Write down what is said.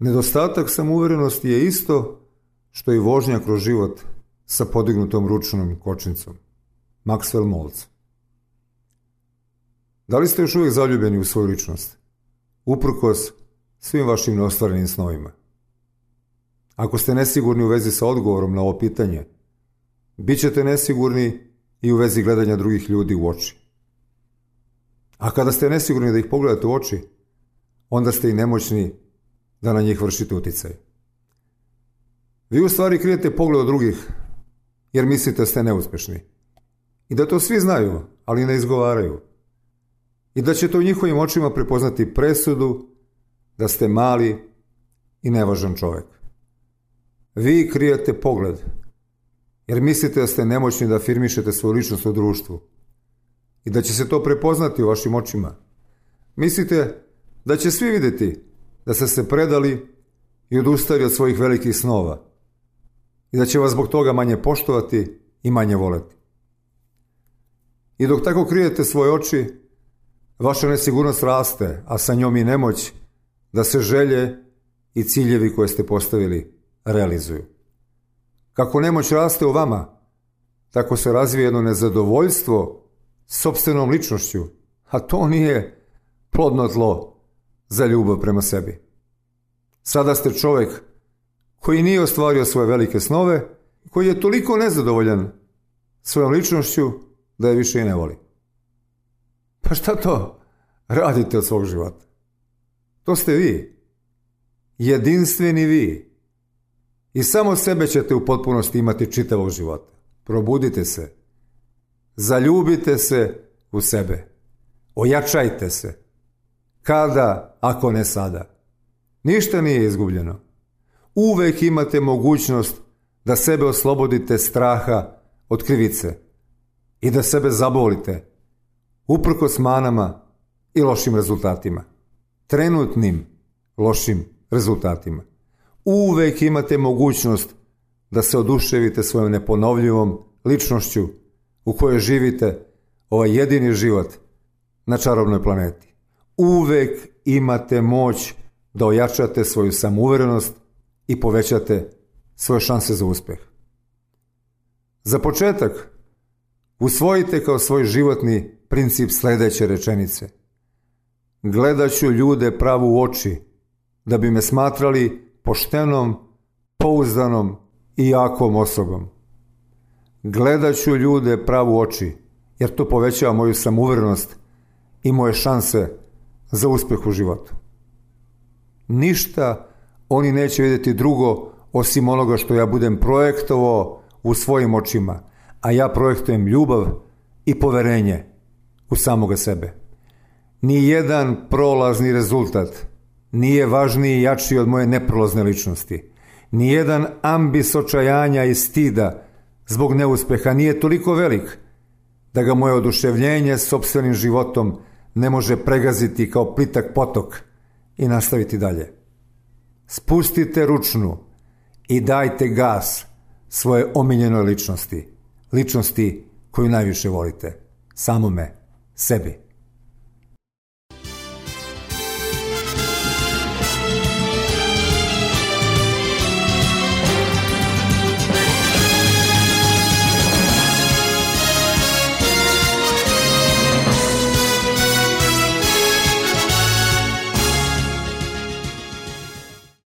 Nedostatak samouverenosti je isto što i vožnja kroz život sa podignutom ručnom kočnicom. Maxwell Maltz. Da li ste još uvijek zaljubljeni u svoju ličnost? Uprkos svim vašim neostvarenim snovima. Ako ste nesigurni u vezi sa odgovorom na ovo pitanje, bit ćete nesigurni i u vezi gledanja drugih ljudi u oči. A kada ste nesigurni da ih pogledate u oči, onda ste i nemoćni da na njih vršite uticaj. Vi u stvari krijete pogled od drugih, jer mislite da ste neuspješni. I da to svi znaju, ali ne izgovaraju. I da ćete u njihovim očima prepoznati presudu da ste mali i nevažan čovjek. Vi krijete pogled, jer mislite da ste nemoćni da afirmišete svoju ličnost u društvu i da će se to prepoznati u vašim očima. Mislite da će svi vidjeti da ste se predali i odustali od svojih velikih snova i da će vas zbog toga manje poštovati i manje voleti. I dok tako krijete svoje oči, vaša nesigurnost raste, a sa njom i nemoć da se želje i ciljevi koje ste postavili realizuju. Kako nemoć raste u vama, tako se razvije jedno nezadovoljstvo sopstvenom ličnošću, a to nije plodno tlo za ljubav prema sebi. Sada ste čovjek koji nije ostvario svoje velike snove, koji je toliko nezadovoljan svojom ličnošću da je više i ne voli. Pa šta to radite od svog života? To ste vi. Jedinstveni vi. I samo sebe ćete u potpunosti imati čitavog života. Probudite se. Zaljubite se u sebe. Ojačajte se. Kada, ako ne sada? Ništa nije izgubljeno. Uvek imate mogućnost da sebe oslobodite straha od krivice i da sebe zabolite uprkos manama i lošim rezultatima. Trenutnim lošim rezultatima. Uvek imate mogućnost da se oduševite svojom neponovljivom ličnošću u kojoj živite ovaj jedini život na čarobnoj planeti. Uvek imate moć da ojačate svoju samouverenost i povećate svoje šanse za uspjeh. Za početak, usvojite kao svoj životni princip sljedeće rečenice. Gledat ću ljude pravo u oči da bi me smatrali poštenom, pouzdanom i jakom osobom. Gledat ću ljude pravo u oči jer to povećava moju samouverenost i moje šanse za uspjeh u životu. Ništa oni neće vidjeti drugo osim onoga što ja budem projektovao u svojim očima, a ja projektujem ljubav i poverenje u samoga sebe. Nijedan prolazni rezultat nije važniji i jači od moje neprolazne ličnosti. Nijedan ambis očajanja i stida zbog neuspjeha nije toliko velik da ga moje oduševljenje sopstvenim životom ne može pregaziti kao plitak potok i nastaviti dalje. Spustite ručnu i dajte gas svoje omiljenoj ličnosti, ličnosti koju najviše volite, samome sebi.